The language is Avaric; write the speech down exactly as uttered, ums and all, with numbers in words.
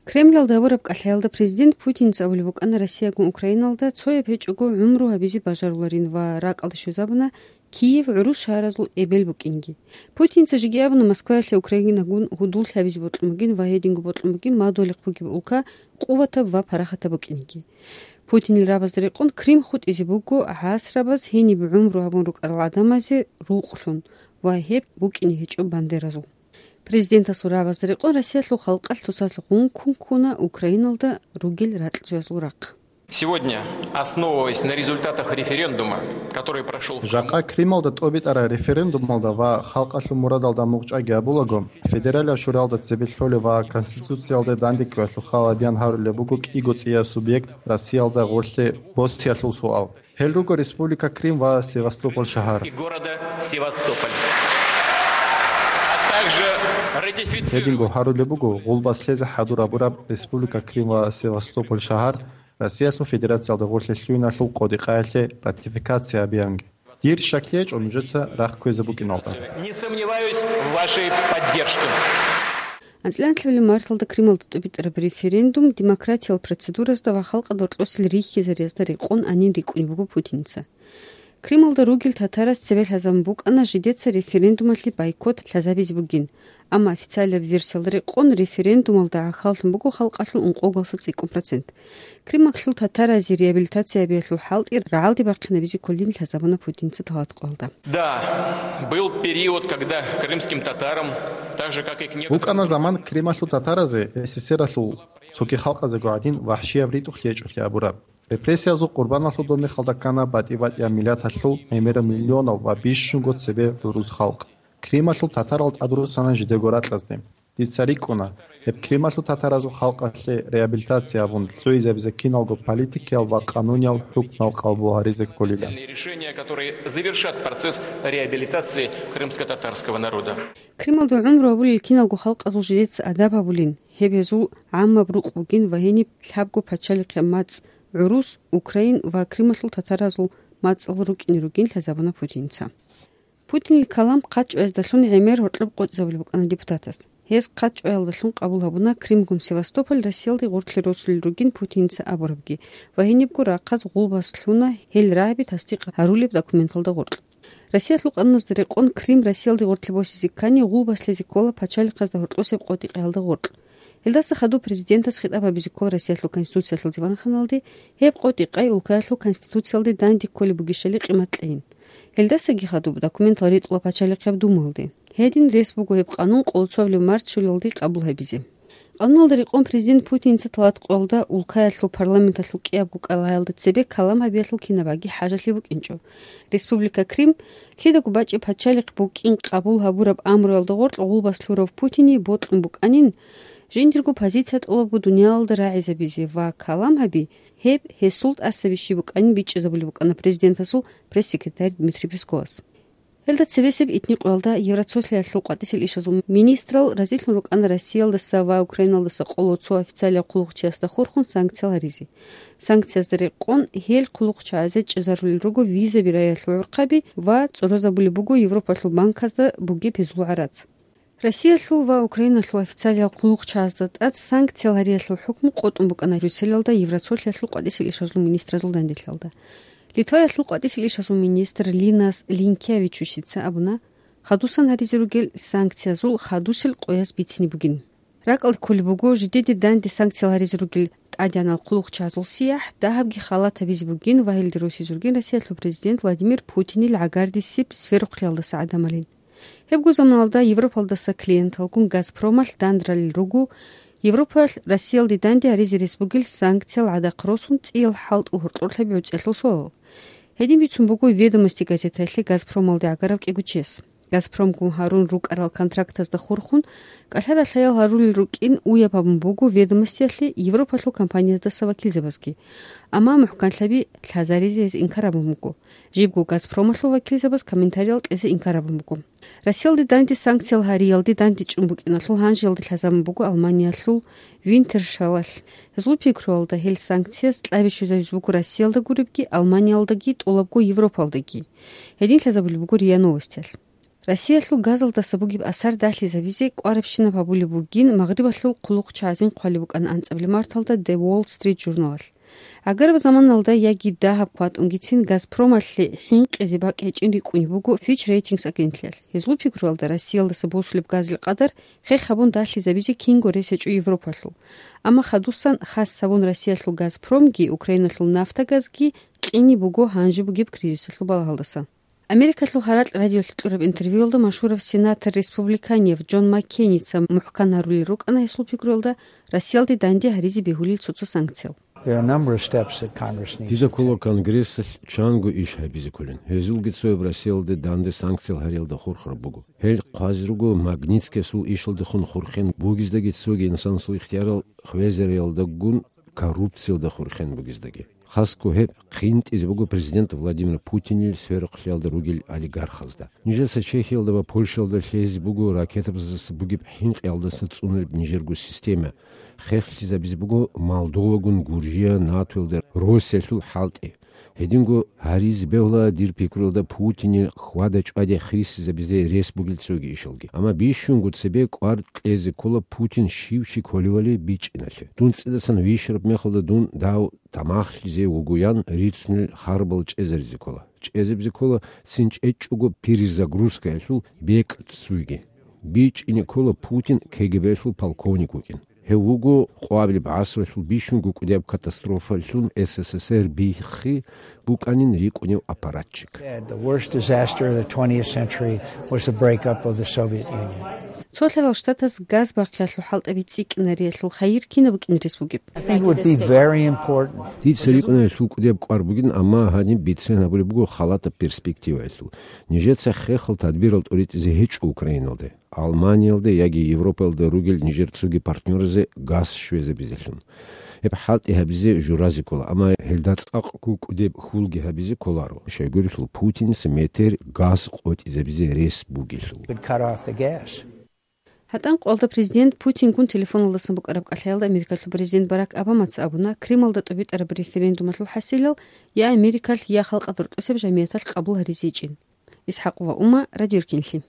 Кремлалда гьабураб кӀалъаялда президент Путинца абулеб букӀана Россиягун Украиналда цояб гьечӀого гӀумру гьабизе бажаруларин ва ракӀалде щвезабуна Киев гӀурус шагьаразул эбел букӀинги. Путинца жеги абуна Москваялъе Украинагун гьудуллъи гьабизе бокьун бугин ва гьединго бокьун бугин мадугьалихъ бугеб улка къуватаб ва парахатаб букӀинги. Путинил рабазда рекъон Крым хутӀизе буго гӀасрабаз гьениб гӀумру гьабун рукӀарал гӀадамазе рукълъун ва гьеб букӀине гьечӀо бандеразул. Президентасул рабазда рекъон Россиялъул халкъалъ цоцалъ гъун ккун ккуна Украиналда ругел ракьчӀезул рахъ. Сегодня, основываясь на результатах референдума, который прошёл в Крыму, Жакъа Крималда тӀобитӀараб референдумалда ва халкъалъул мурадалда мугъчӀаги гьабулаго, федералияб шуралда цебе лъолеб ва Конституциялда данде кколелъул хал гьабеян гьарулеб буго кӀиго цӀияб субъект Россиялда гъорлъе босиялъул суал. Гьел руго Республика Крым ва Севастополь шагьар. И города Севастополь. А также ратифицировать Гьединго гьарулеб буго гъулбас лъезе хӀадур гьабураб Республика Крым ва Севастополь шагьар Россиялъул Федерациялда гъорлъе лъугьиналъул къотӀи-къаялъе ратификация гьабиянги. Дир щаклъи гьечӀо нужеца рахъ кквезе букӀиналда. Не сомневаюсь в вашей поддержке. АнцӀила анлъабилеб марталда Крималда тӀубитӀараб референдум демократиял процедуразда ва халкъалда гьоркьосел рихьизариязда рекъон гьанин рикӀкӀунеб буго Путинца. Крималда ругел татараз цебе лъазабун букӀана жидеца референдумалъе бойкот лъазабизе бугин, амма официалияб версиялда рекъон референдумалда гӀахьаллъун буго халкъалъул ункъоялдаса цӀикӀкӀун процент. Крималъул татаразе реабилитация гьабиялъул хӀалтӀи рагӀалде бахъинабизе кколин лъазабуна Путинца тӀалаб къоялда. Да, был период, когда крымским татарам, так же, как и к некоторым БукӀана заман Крималъул татаразе, СССР-алъул цоги халкъазего гӀадин, вахӀшияб ритӀухълъи гьечӀолъи абураб. Репрессиязул къурбаналъул доб мехалда ккана батӀи-батӀияб миллаталъул гӀемераб миллионал ва бищунго цебе гӀурус халкъ. Крималъул татарал тӀадруссана жидего ракьазде. Дица рикӀкӀуна, гьеб Крималъул татаразул халкъалъе реабилитация гьабун, лъугӀизабизе киналго политикиял ва къануниял хӀукмал къабул гьаризе кколилан. Решения, которые завершат процесс реабилитации крымско-татарского народа. Крималда гӀумру гьабулел киналго халкъазул жидеца адаб гьабулин, гьеб гьезул гӀаммаб рукъ бугин ва гьениб лъабго пачалихъе мацӀ, гӀурус, украин ва Крималъул татаразул мацӀал рукӀине ругин лъазабуна Путинца. Путинил калам хъачӀояздалъун гӀемер гьоркьоб къотӀизабулеб букӀана депутатас. Гьез хъачӀоялдалъун къабул гьабуна Кримгун Севастополь Россиялде гъорлъе росулел ругин Путинца абурабги ва гьенибго рахъаз гъулбас лъуна гьел рагӀаби тасдикъ гьарулеб документалда гъоркь. Россиялъул къануназда рекъон Крим Россиялде гъорлъе босизе ккани, гъулбас лъезе ккола пачалихъазда гьоркьосеб къотӀи-къаялда гъоркь. Гьелдаса хадуб президентас хитӀаб гьабизе ккола Россиялъул Конституциялъул диванханалде, гьеб къотӀи-къай улкаялъул Конституциялде данде кколеб бугищали къимат кьейин. Гьелдасаги хадуб документал ритӀула Пачалихъияб Думалде. Гьедин рес буго гьеб къанун къоло цоабилеб март щулалде къабул гьабизе. Къануналда рекъон президент Путинца тӀалаб къоялда улкаялъул парламенталъул кӀиябго кӀалаялда цебе калам гьабиялъул кинабаги хӀажалъи букӀинчӀо. Республика Крым лъидаго бачӀеб пачалихъ букӀин къабул гьабураб амруялда гъоркь гъулбас лъурав Путине бокьун букӀанин, жиндирго позиция тӀолабго дуниялалда рагӀизабизе ва калам гьаби, гьеб гьесул тӀасаби щиб букӀанин бичӀчӀизабулеб букӀана президентасул пресс-секретарь Дмитрий Песковас. Гьелда цебесеб итни къоялда Евроцолъиялъул къватӀисел ишазул министрал разилъун рукӀана Россиялдаса ва Украиналдаса къоло цо официалияв хъулухъчиясда хурхун санкциял гьаризе. Санкциязда рекъон гьел хъулухъчагӀазе чӀезарулел руго визаби раялъул гӀурхъаби ва цӀуразабулеб буго Европалъул банказда бугеб гьезул гӀарац. Россиялъул ва Украиналъул официалиял хъулухъчагӀазда тӀад санкциял гьариялъул хӀукму къотӀун букӀана Брюсселалда Евроцолъиялъул къватӀисел ишазул министразул данделъиялда. Литваялъул къватӀисел ишазул министр Линас Линкевичусица абуна, хадусан гьаризе ругел санкциязул хадусел къояз бицине бугин. РакӀалде кколеб буго, жидеде данде санкциял гьаризе ругел тӀадегӀанал хъулухъчагӀазул сияхӀ дагьабги халат гьабизе бугин ва гьелде росизе ругин Россиялъул президент Владимир Путинил гӀагардисеб сверухълъиялдаса гӀадамалин. Гьебго заманалда Европалдаса клиенталгун Газпромалъ дандралел руго Европалъ Россиялде данде гьаризе рес бугел санкциял гӀадахъ росун цӀиял хӀалтӀул гьоркьорлъаби гӀуцӀиялъул суалал. Гьедин бицун буго «Ведомости» газеталъе Газпромалде гӀагарав кӀиго чияс. Газпромгун гьарун рукӀарал контрактазда хурхун, кӀалъа-ралъаял гьарулел рукӀин уяб гьабун буго «Ведомостиялъе» Европалъул компанияздаса вакилзабазги. Амма мухӀканлъаби лъазаризе гьез инкар гьабун буго. Жибго Газпромалъул вакилзабаз комментариял кьезе инкар гьабун буго. Россиялде данде санкциял гьариялде дандечӀун букӀиналъул гьанжеялде лъазабун буго Алманиялъул Винтершалалъ. Гьезул пикруялда гьел санкцияз кьаби щвезабизе буго Россиялда гуребги, Алманиялдаги, тӀолабго Европалдаги. Гьедин лъазабулеб буго РИА Новостиялъ. Россиялъул газалдаса бугеб асар дагьлъизабизе кӀварабщинаб гьабулеб бугин Магърибалъул хъулухъчагӀазин хъвалеб букӀана анцӀабилеб марталда The Wall Street журналалъ. Агар заманалда яги дагьаб кватӀунгицин Газпромалъе хӀинкъизе бакӀ гьечӀин рикӀкӀунеб буго Fitch Ratings агентлъиялъ. Гьезул пикруялда, Россиялдаса босулеб газил къадар хех гьабун дагьлъизабизе кинго рес гьечӀо Европалъул. Амма хадусан хас гьабун Россиялъул Газпромги Украиналъул нафтагазги къине буго гьанже бугеб кризисалъул балагьалдасан. Америкалъул гьаракь радиолъ кьураб интервьюялда машгьурав сенатор-республиканияв Джон Маккейница мухӀкан гьарулел рукӀана гьесул пикруялда Россиялде данде гьаризе бегьулел цо-цо санкциял. There are a number of steps that Congress needs Дида to ккола take. Конгрессалъ чанго иш гьабизе кколин. Гьезулги цояб Россиялде данде санкциял гьариялда хурхараб буго. Гьел хъвазе руго Магнитскиясул ишалдехун хурхен бугездаги цоги инсанасул ихтиярал хвезариялдагун коррупциялда хурхен бугездаги. Хасго гьеб хъинтӀизе буго президент Владимир Путинил сверухълъиялда ругел олигархазда. Нижеца Чехиялда ва Польшаялда лъезе буго ракетабаздаса бугеб хӀинкъиялдаса цӀунулеб нижерго система. Хехлъизабизе буго Молдовагун Гуржия НАТОялда Россиялъул хӀалтӀи. Гьединго гьаризе бегьула дир пикруялда Путинил хьвада-чӀваде хисизабизе рес бугел цоги ишалги. Амма бищунго цебе кӀвар кьезе ккола Путин щив чи кколивали бичӀчӀиналъе. Дун цӀидасан вищараб мехалда дун дав тамахлъизе вугоян рицунел харбал чӀезаризе ккола. ЧӀезабизе ккола цин чӀечӀого перезагрузкаялъул бекӀ цуйги. БичӀчӀине ккола Путин КГБ-лъул полковник вукӀин. Гьев вуго къвабилеб гӀасралъул бищунго кӀудияб катастрофалъун СССР биххи букӀанин рикӀкӀунев аппаратчик. The worst disaster of the twentieth century was the breakup of the Soviet Union. Цо лъалал штатас газ бахъиялъул хӀалтӀаби цӀикӀкӀинариялъул хайир кинаб букӀин рес бугеб? I think it would be very important. Дица рикӀкӀунаялъул кӀудияб кӀвар бугин, амма гьаниб бицен гьабулеб буго халатаб перспективаялъул. Нижеца хехал тадбирал тӀоритӀизе гьечӀо Украиналде, Алманиялде яги Европаялда ругел нижер цоги партнёразе газ щвезабизелъун. Гьеб хӀалтӀи гьабизе журазе ккола, амма гьелда цӀакъго кӀудеб хьулги гьабизе кколаро, щайгурелъул Путиница метер газ къотӀизабизе рес бугелъул. Would cut off the gas. ГьатӀан къвалда президент Путингун телефоналдасан букӀараб кӀалъаялда Америкалъул президент Барак Обамаца абуна, Кремлда тӀубитӀараб референдумалъул хӀасилал я Америкалъ, я халкъалда рокьосеб жамияталъ къабул гьаризе ичӀин. ИсхӀакъова Умма, Радио Рукинлъи.